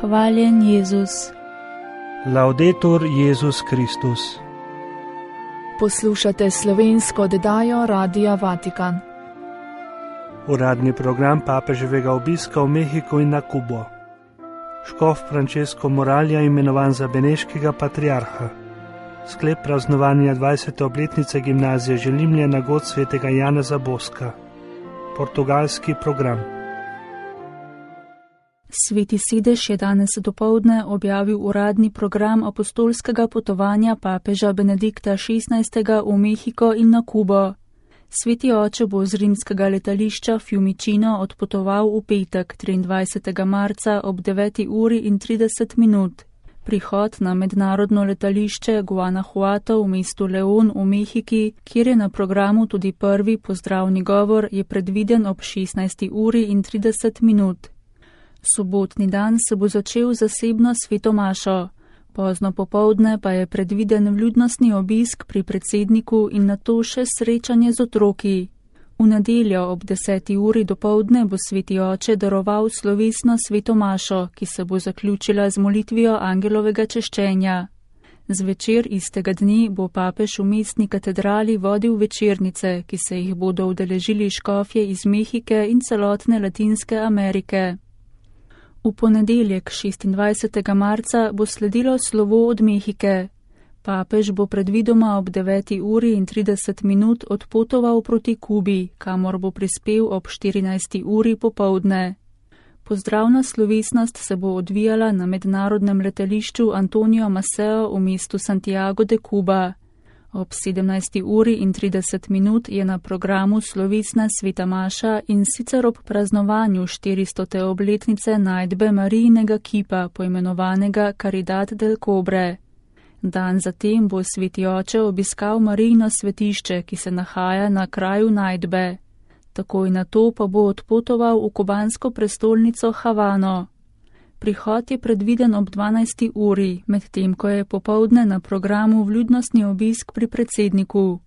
Hvaljen Jezus. Laudetur Jezus Kristus. Poslušate slovensko oddajo Radia Vatikan. Uradni program papeževega obiska v Mehiku in na Kubo. Škof Francesco Moralja imenovan za beneškega patriarha. Sklep praznovanja 20. obletnice gimnazije Želimlje na god svetega Janeza Boska. Portugalski program. Sveti sedež je danes dopoldne objavil uradni program apostolskega potovanja papeža Benedikta XVI. V Mehiko in na Kubo. Sveti oče bo z rimskega letališča Fiumicino odpotoval v petek 23. marca ob 9:30. Prihod na mednarodno letališče Guanajuato v mestu León v Mehiki, kjer je na programu tudi prvi pozdravni govor, je predviden ob 16:30. Sobotni dan se bo začel zasebno sveto mašo. Pozno popoldne pa je predviden vljudnostni obisk pri predsedniku in nato še srečanje z otroki. V nedeljo ob 10. dopoldne bo sveti oče daroval slovesno sveto mašo, ki se bo zaključila z molitvijo angelovega češčenja. Zvečer istega dne bo papež v mestni katedrali vodil večernice, ki se jih bodo udeležili škofje iz Mehike in celotne Latinske Amerike. V ponedeljek 26. marca bo sledilo slovo od Mehike. Papež bo predvidoma ob 9:30 odpotoval proti Kubi, kamor bo prispel ob 14. popoldne. Pozdravna slovesnost se bo odvijala na mednarodnem letališču Antonio Maceo v mestu Santiago de Cuba. Ob 17:30 je na programu slovesna sveta maša in sicer ob praznovanju 400. obletnice najdbe Marijinega kipa, poimenovanega Caridad del Cobre. Dan zatem bo sveti oče obiskal Marijino svetišče, ki se nahaja na kraju najdbe. Takoj nato pa bo odpotoval v kubansko prestolnico Havano. Prihod je predviden ob 12. medtem ko je popoldne na programu vljudnostni obisk pri predsedniku.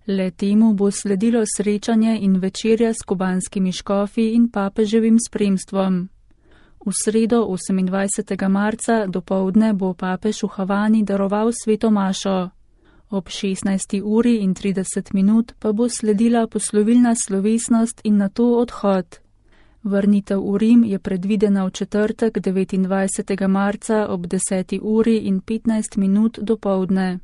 Le temu bo sledilo srečanje in večerja s kubanskimi škofi in papeževim spremstvom. V sredo 28. marca dopoldne bo papež v Havani daroval sveto mašo. Ob 16:30 pa bo sledila poslovilna slovesnost in nato odhod. Vrnitev v Rim je predvidena v četrtek 29. marca ob 10:15 dopoldne.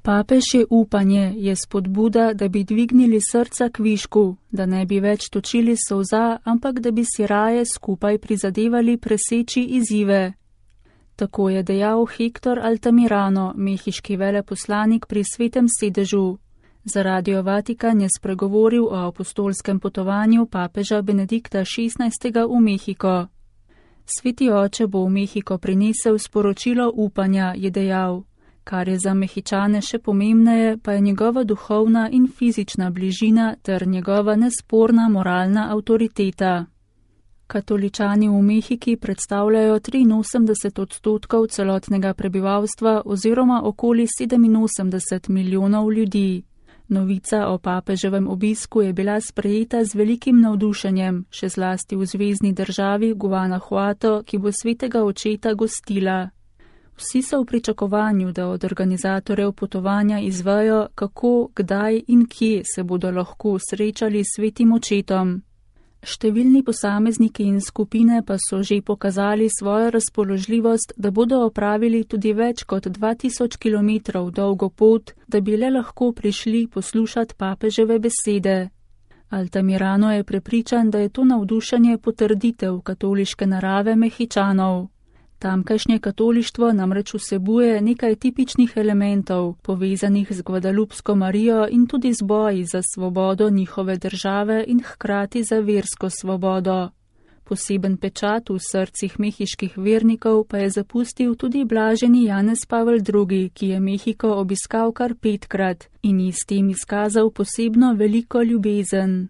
Papež je upanje, je spodbuda, da bi dvignili srca k višku, da ne bi več točili solza, ampak da bi si raje skupaj prizadevali preseči izzive. Tako je dejal Hector Altamirano, mehiški veleposlanik pri svetem sedežu. Za Radio Vatikan je spregovoril o apostolskem potovanju papeža Benedikta XVI. V Mehiko. Sveti oče bo v Mehiko prinesel sporočilo upanja, je dejal. Kar je za Mehičane še pomembneje, pa je njegova duhovna in fizična bližina ter njegova nesporna moralna avtoriteta. Katoličani v Mehiki predstavljajo 83% celotnega prebivalstva oziroma okoli 87 milijonov ljudi. Novica o papeževem obisku je bila sprejeta z velikim navdušenjem, še zlasti v zvezni državi Guanajuato, ki bo svetega očeta gostila. Vsi so v pričakovanju, da od organizatorjev potovanja izvejo, kako, kdaj in kje se bodo lahko srečali s svetim očetom. Številni posamezniki in skupine pa so že pokazali svojo razpoložljivost, da bodo opravili tudi več kot 2000 km dolgo pot, da bi le lahko prišli poslušati papeževe besede. Altamirano je prepričan, da je to navdušenje potrditev katoliške narave Mehičanov. Tamkajšnje katolištvo namreč vsebuje nekaj tipičnih elementov, povezanih z Guadalupsko Marijo in tudi z boji za svobodo njihove države in hkrati za versko svobodo. Poseben pečat v srcih mehiških vernikov pa je zapustil tudi blaženi Janez Pavel II., ki je Mehiko obiskal kar 5-krat in ji s tem izkazal posebno veliko ljubezen.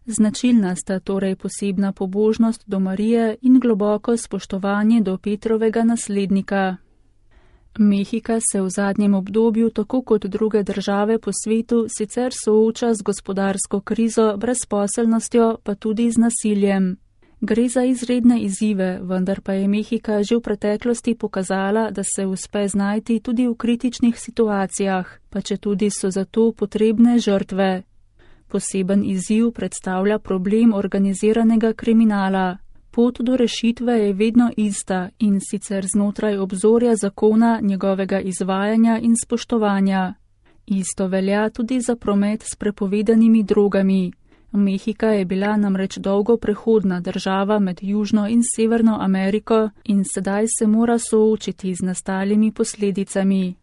Značilna sta torej posebna pobožnost do Marije in globoko spoštovanje do Petrovega naslednika. Mehika se v zadnjem obdobju, tako kot druge države po svetu, sicer sooča z gospodarsko krizo, brezposelnostjo, pa tudi z nasiljem. Gre za izredne izzive, vendar pa je Mehika že v preteklosti pokazala, da se uspe znajti tudi v kritičnih situacijah, pa četudi so za to potrebne žrtve. Poseben izziv predstavlja problem organiziranega kriminala. Pot do rešitve je vedno ista, in sicer znotraj obzorja zakona, njegovega izvajanja in spoštovanja. Isto velja tudi za promet s prepovedanimi drogami. Mehika je bila namreč dolgo prehodna država med Južno in Severno Ameriko in sedaj se mora soočiti z nastalimi posledicami.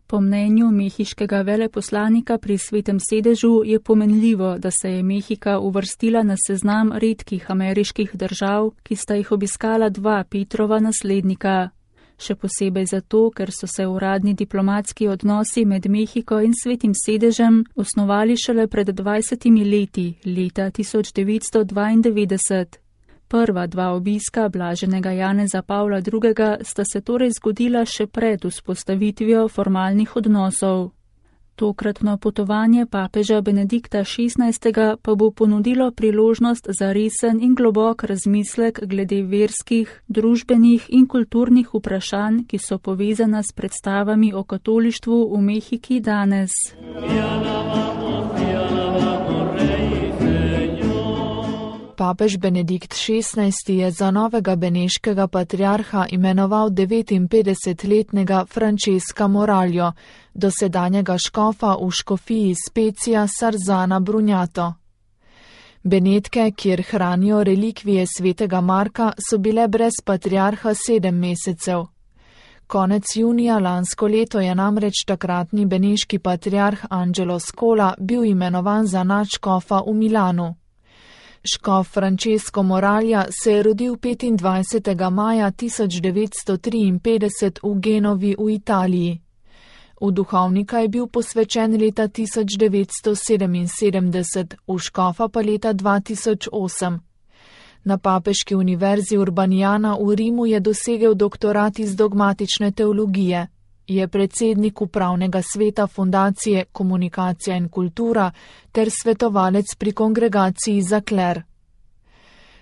Po mnenju mehiškega veleposlanika pri Svetem sedežu je pomenljivo, da se je Mehika uvrstila na seznam redkih ameriških držav, ki sta jih obiskala dva Petrova naslednika. Še posebej zato, ker so se uradni diplomatski odnosi med Mehiko in Svetim sedežem osnovali šele pred 20 leti, leta 1992. Prva dva obiska blaženega Janeza Pavla II. Sta se torej zgodila še pred vzpostavitvijo formalnih odnosov. Tokratno potovanje papeža Benedikta XVI. Pa bo ponudilo priložnost za resen in globok razmislek glede verskih, družbenih in kulturnih vprašanj, ki so povezana s predstavami o katolištvu v Mehiki danes. Papež Benedikt XVI. Je za novega beneškega patriarha imenoval 59-letnega Francesca Moraljo, dosedanjega škofa v škofiji Specija Sarzana Brunjato. Benetke, kjer hranijo relikvije svetega Marka, so bile brez patriarha 7 mesecev. Konec junija lansko leto je namreč takratni beneški patriarh Angelo Scola bil imenovan za nadškofa v Milanu. Škof Francesco Moralja se je rodil 25. maja 1953 v Genovi v Italiji. V duhovnika je bil posvečen leta 1977, v škofa pa leta 2008. Na papeški univerzi Urbaniana v Rimu je dosegel doktorat iz dogmatične teologije. Je predsednik upravnega sveta fundacije Komunikacija in kultura ter svetovalec pri kongregaciji za kler.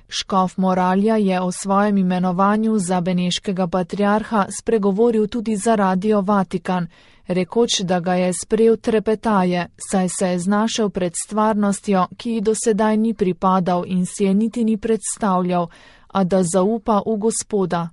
Škof Moralja je o svojem imenovanju za beneškega patriarha spregovoril tudi za Radio Vatikan, rekoč, da ga je sprejel trepetaje, saj se je znašel pred stvarnostjo, ki ji do sedaj ni pripadal in si je niti ni predstavljal, a da zaupa v Gospoda.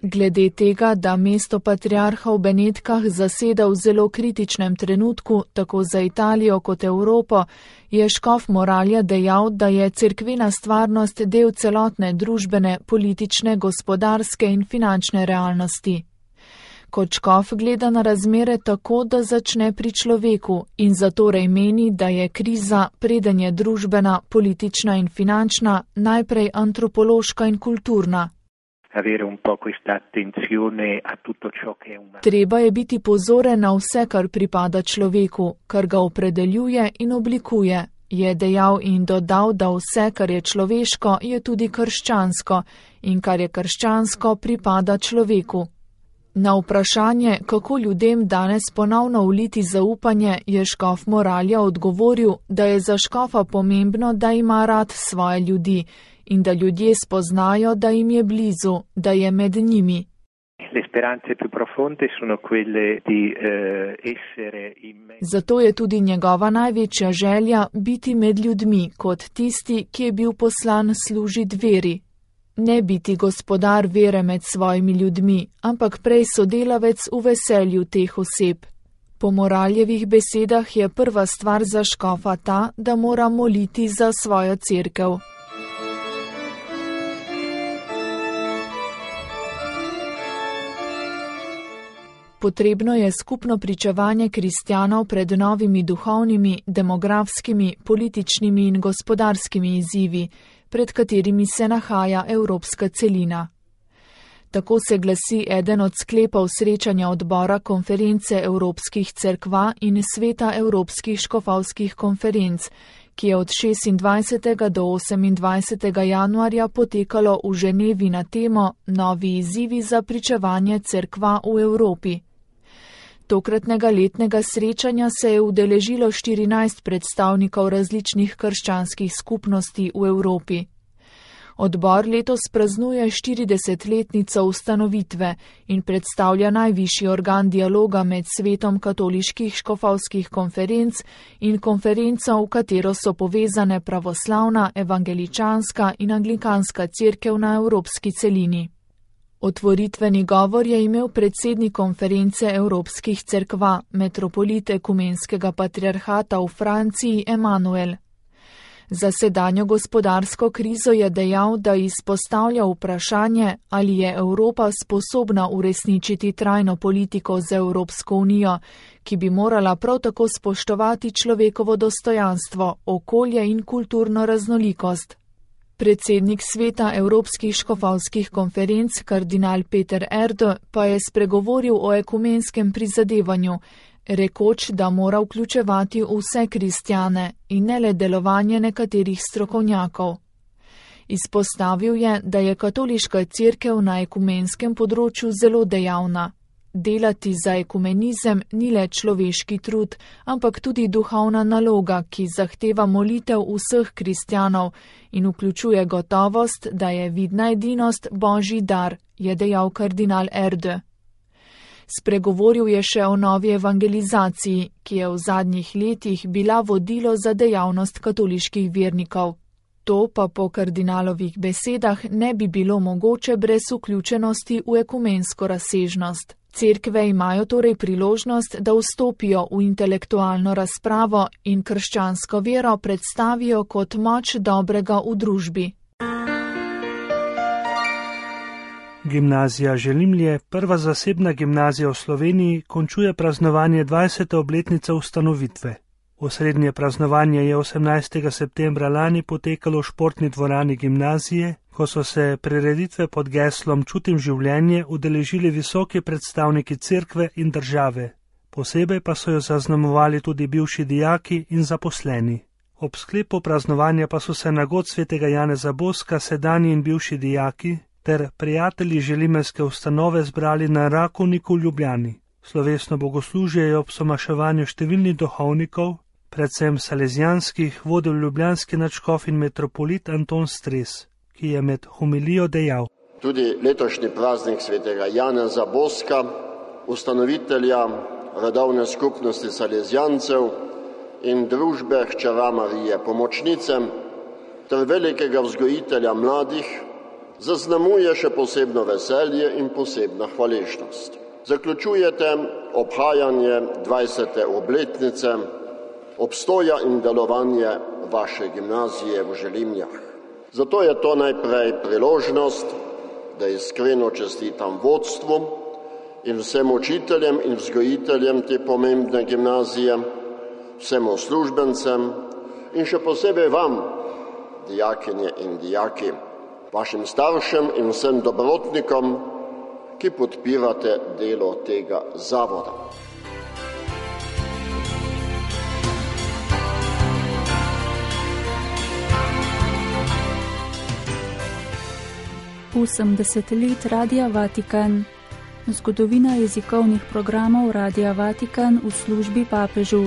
Glede tega, da mesto patriarha v Benetkah zaseda v zelo kritičnem trenutku, tako za Italijo kot Evropo, je škof Moralja dejal, da je cerkvena stvarnost del celotne družbene, politične, gospodarske in finančne realnosti. Kot škof gleda na razmere tako, da začne pri človeku in zatorej meni, da je kriza, preden je družbena, politična in finančna, najprej antropološka in kulturna. Treba je biti pozoren na vse, kar pripada človeku, kar ga opredeljuje in oblikuje, je dejal in dodal, da vse, kar je človeško, je tudi krščansko in kar je krščansko, pripada človeku. Na vprašanje, kako ljudem danes ponovno vliti zaupanje, je škof Moralja odgovoril, da je za škofa pomembno, da ima rad svoje ljudi in da ljudje spoznajo, da jim je blizu, da je med njimi. Zato je tudi njegova največja želja biti med ljudmi, kot tisti, ki je bil poslan služiti veri. Ne biti gospodar vere med svojimi ljudmi, ampak prej sodelavec v veselju teh oseb. Po Moraljevih besedah je prva stvar za škofa ta, da mora moliti za svojo cerkev. Potrebno je skupno pričevanje kristjanov pred novimi duhovnimi, demografskimi, političnimi in gospodarskimi izzivi, pred katerimi se nahaja evropska celina. Tako se glasi eden od sklepov srečanja odbora konference evropskih cerkva in sveta evropskih škofovskih konferenc, ki je od 26. do 28. januarja potekalo v Ženevi na temo Novi izzivi za pričevanje cerkva v Evropi. Tokratnega letnega srečanja se je udeležilo 14 predstavnikov različnih krščanskih skupnosti v Evropi. Odbor letos praznuje 40-letnico ustanovitve in predstavlja najvišji organ dialoga med svetom katoliških škofovskih konferenc in konferenco, v katero so povezane pravoslavna, evangeličanska in anglikanska cerkev na evropski celini. Otvoritveni govor je imel predsednik konference evropskih cerkva, metropolit ekumenskega patriarhata v Franciji Emanuel. Za sedanjo gospodarsko krizo je dejal, da izpostavlja vprašanje, ali je Evropa sposobna uresničiti trajno politiko z Evropsko unijo, ki bi morala prav tako spoštovati človekovo dostojanstvo, okolje in kulturno raznolikost. Predsednik sveta Evropskih škofovskih konferenc, kardinal Peter Erdo, pa je spregovoril o ekumenskem prizadevanju, rekoč, da mora vključevati vse kristjane in ne le delovanje nekaterih strokovnjakov. Izpostavil je, da je katoliška cerkev na ekumenskem področju zelo dejavna. Delati za ekumenizem ni le človeški trud, ampak tudi duhovna naloga, ki zahteva molitev vseh kristjanov in vključuje gotovost, da je vidna edinost božji dar, je dejal kardinal Erdo. Spregovoril je še o novi evangelizaciji, ki je v zadnjih letih bila vodilo za dejavnost katoliških vernikov. To pa po kardinalovih besedah ne bi bilo mogoče brez vključenosti v ekumensko razsežnost. Cerkve imajo torej priložnost, da vstopijo v intelektualno razpravo in krščansko vero predstavijo kot moč dobrega v družbi. Gimnazija Želimlje, prva zasebna gimnazija v Sloveniji, končuje praznovanje 20. obletnice ustanovitve. Osrednje praznovanje je 18. septembra lani potekalo v športni dvorani gimnazije, ko so se prireditve pod geslom Čutim življenje udeležili visoki predstavniki cerkve in države. Posebej pa so jo zaznamovali tudi bivši dijaki in zaposleni. Ob sklepu praznovanja pa so se na god svetega Janeza Boska sedanji in bivši dijaki ter prijatelji želimelske ustanove zbrali na Rakovniku v Ljubljani. Slovesno bogoslužje je ob somaševanju številnih duhovnikov, predvsem salezijanskih, vodil ljubljanski nadškof in metropolit Anton Stres, ki je med homilijo dejal: Tudi letošnji praznik svetega Janeza Boska, ustanovitelja redovne skupnosti salezijancev in družbe hčera Marije Pomočnice ter velikega vzgojitelja mladih, zaznamuje še posebno veselje in posebna hvaležnost. Zaključujete obhajanje 20. obletnice obstoja in delovanje vaše gimnazije v Želimljah. Zato je to najprej priložnost, da iskreno čestitam vodstvu in vsem učiteljem in vzgojiteljem te pomembne gimnazije, vsem uslužbencem in še posebej vam, dijakinje in dijaki, vašim staršem in vsem dobrotnikom, ki podpirate delo tega zavoda. Osemdeset let Radia Vatikan. Zgodovina jezikovnih programov Radia Vatikan v službi papežu.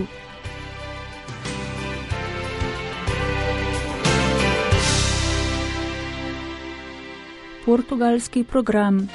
Portugalski program.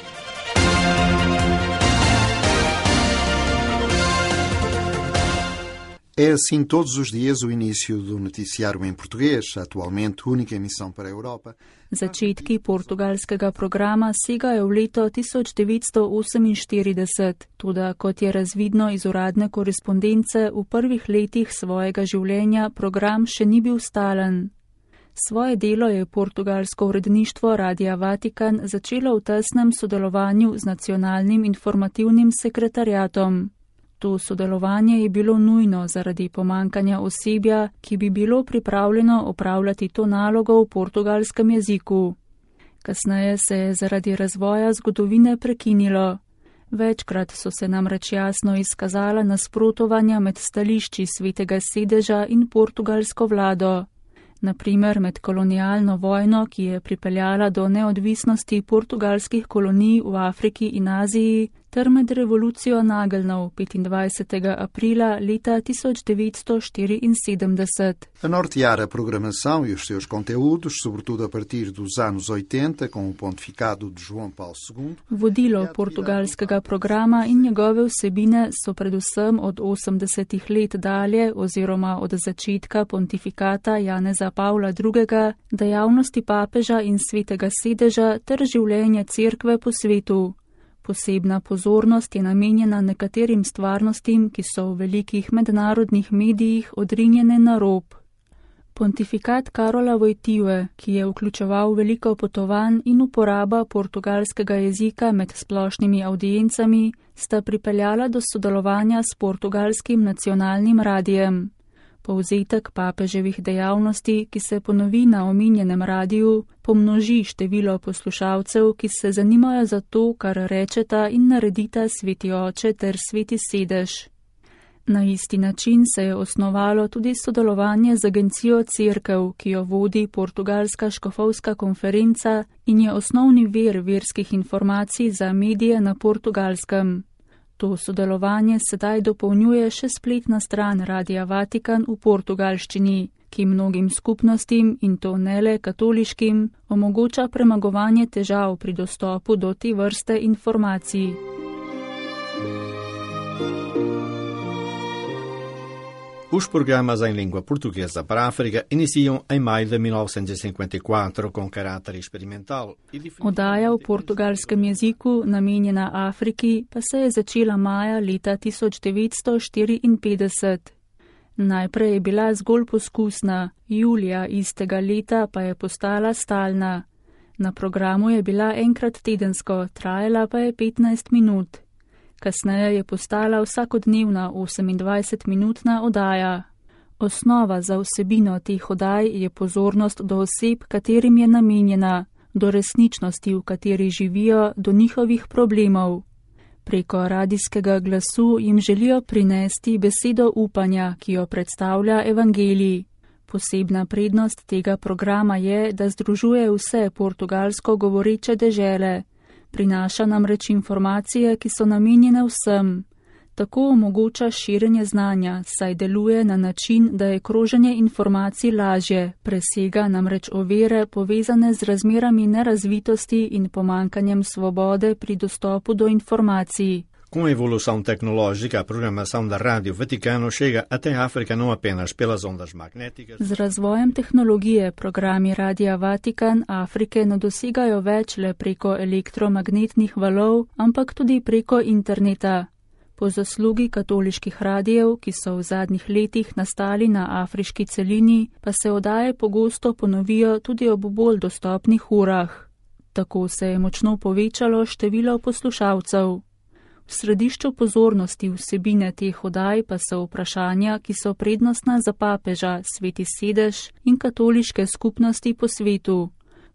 É assim todos os dias o início do noticiário em português, atualmente única emissão para a Europa. Začetki portugalskega programa segajo v leto 1948, toda kot je razvidno iz uradne korespondence, v prvih letih svojega življenja program še ni bil stalen. Svoje delo je portugalsko uredništvo Radia Vatikan začelo v tesnem sodelovanju z nacionalnim informativnim sekretariatom. To sodelovanje je bilo nujno zaradi pomankanja osebja, ki bi bilo pripravljeno opravljati to nalogo v portugalskem jeziku. Kasneje se je zaradi razvoja zgodovine prekinilo. Večkrat so se namreč jasno izkazala nasprotovanja med stališči Svetega sedeža in portugalsko vlado. Naprimer med kolonialno vojno, ki je pripeljala do neodvisnosti portugalskih kolonij v Afriki in Aziji, ter med revolucijo nageljnov 25. aprila leta 1974. A nortear a programação e os seus conteúdos, sobretudo a partir dos anos 80, com o pontificado de João Paulo II. Vodilo portugalskega programa in njegove vsebine so predvsem od 80. let dalje oziroma od začetka pontifikata Janeza Pavla II. Dejavnosti papeža in Svetega sedeža ter življenje cerkve po svetu. Posebna pozornost je namenjena nekaterim stvarnostim, ki so v velikih mednarodnih medijih odrinjene na rob. Pontifikat Karola Wojtyły, ki je vključeval veliko potovanj in uporaba portugalskega jezika med splošnimi audiencami, sta pripeljala do sodelovanja s portugalskim nacionalnim radijem. Povzetek papeževih dejavnosti, ki se ponovi na omenjenem radiju, pomnoži število poslušalcev, ki se zanimajo za to, kar rečeta in naredita Sveti Oče ter Sveti sedež. Na isti način se je osnovalo tudi sodelovanje z agencijo Cerkev, ki jo vodi Portugalska škofovska konferenca in je osnovni vir verskih informacij za medije na Portugalskem. To sodelovanje sedaj dopolnjuje še spletna stran Radia Vatikan v portugalščini, ki mnogim skupnostim, in to ne le katoliškim, omogoča premagovanje težav pri dostopu do te vrste informacij. Os programas em língua portuguesa para a África iniciam em maio de 1954 com caráter experimental. Oddaja v portugalskem jeziku, namenjena Afriki, pa se je začela maja leta 1954. Najprej je bila zgolj poskusna, julija istega leta pa je postala stalna. Na programu je bila enkrat tedensko, trajala pa je 15 minut. Kasneje je postala vsakodnevna 28-minutna oddaja. Osnova za vsebino teh oddaj je pozornost do oseb, katerim je namenjena, do resničnosti, v kateri živijo, do njihovih problemov. Preko radijskega glasu jim želijo prinesti besedo upanja, ki jo predstavlja evangelij. Posebna prednost tega programa je, da združuje vse portugalsko govoreče dežele. Prinaša namreč informacije, ki so namenjene vsem. Tako omogoča širjenje znanja, saj deluje na način, da je kroženje informacij lažje, presega namreč ovire povezane z razmerami nerazvitosti in pomankanjem svobode pri dostopu do informacij. Com a evolução tecnológica, a programação da Rádio Vaticano chega até a África não apenas pelas ondas magnéticas. Z razvojem tehnologije programi Radia Vatikan Afrike ne dosegajo več le preko elektromagnetnih valov, ampak tudi preko interneta. Po zaslugi katoliških radijev, ki so v zadnjih letih nastali na afriški celini, pa se oddaje pogosto ponovijo tudi ob bolj dostopnih urah. Tako se je močno povečalo število poslušalcev. V središču pozornosti vsebine teh oddaj pa so vprašanja, ki so prednostna za papeža, Sveti sedež in katoliške skupnosti po svetu.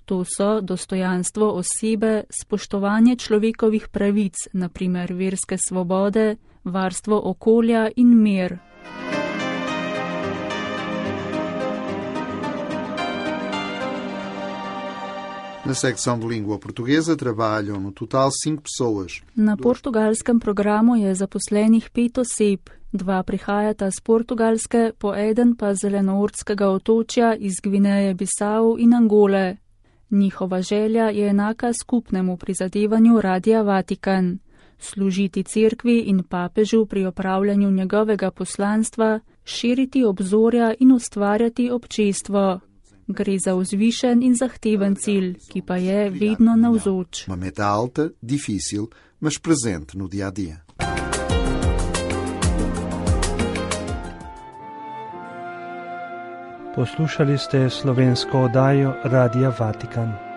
To so dostojanstvo osebe, spoštovanje človekovih pravic, naprimer verske svobode, varstvo okolja in mir. Na secção de língua portuguesa trabalham no total 5 pessoas. Na portugalskem programu je zaposlenih 5 oseb. 2 prihajata z Portugalske, po eden pa z Zelenoordskega otočja iz Gvineje, Bisau in Angole. Njihova želja je enaka skupnemu prizadevanju Radia Vatikan. Služiti cerkvi in papežu pri opravljanju njegovega poslanstva, širiti obzorja in ustvarjati občestvo. Gre za vzvišen in zahteven cilj, ki pa je vedno navzoč. Uma meta alta, difícil, mas presente no dia a dia. Poslušali ste slovensko oddajo Radia Vatikan.